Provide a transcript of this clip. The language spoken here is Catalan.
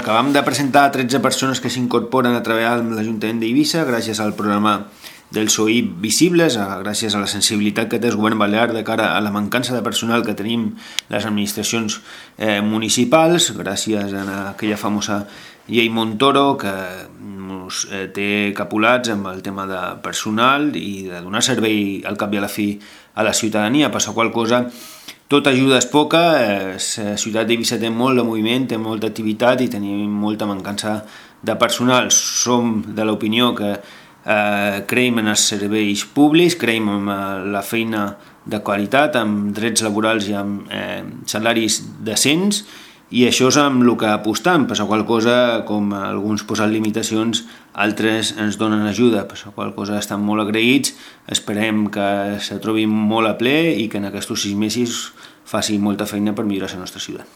acabam de presentar 13 persones que s'incorporen a treballar amb l'Ajuntament d'Eivissa gràcies al programa del SOIP Visibles, gràcies a la sensibilitat que té el govern balear de cara a la mancança de personal que tenim les administracions municipals, gràcies a aquella famosa llei Montoro que ens té capulats amb el tema de personal i de donar servei al cap i a la fi a la ciutadania, per la qual cosa tota ajuda és poca. La ciutat d'Eivissa té molt de moviment, té molta activitat i tenim molta mancança de personal. Som de l'opinió que creiem en els serveis públics, creiem en la feina de qualitat, amb drets laborals i amb salaris decents, i això és amb el que apostam, per la qual cosa, com alguns posen limitacions, altres ens donen ajuda, per la qual cosa estan molt agraïts, esperem que se trobin molt a ple i que en aquests 6 mesos faci molta feina per millorar la nostra ciutat.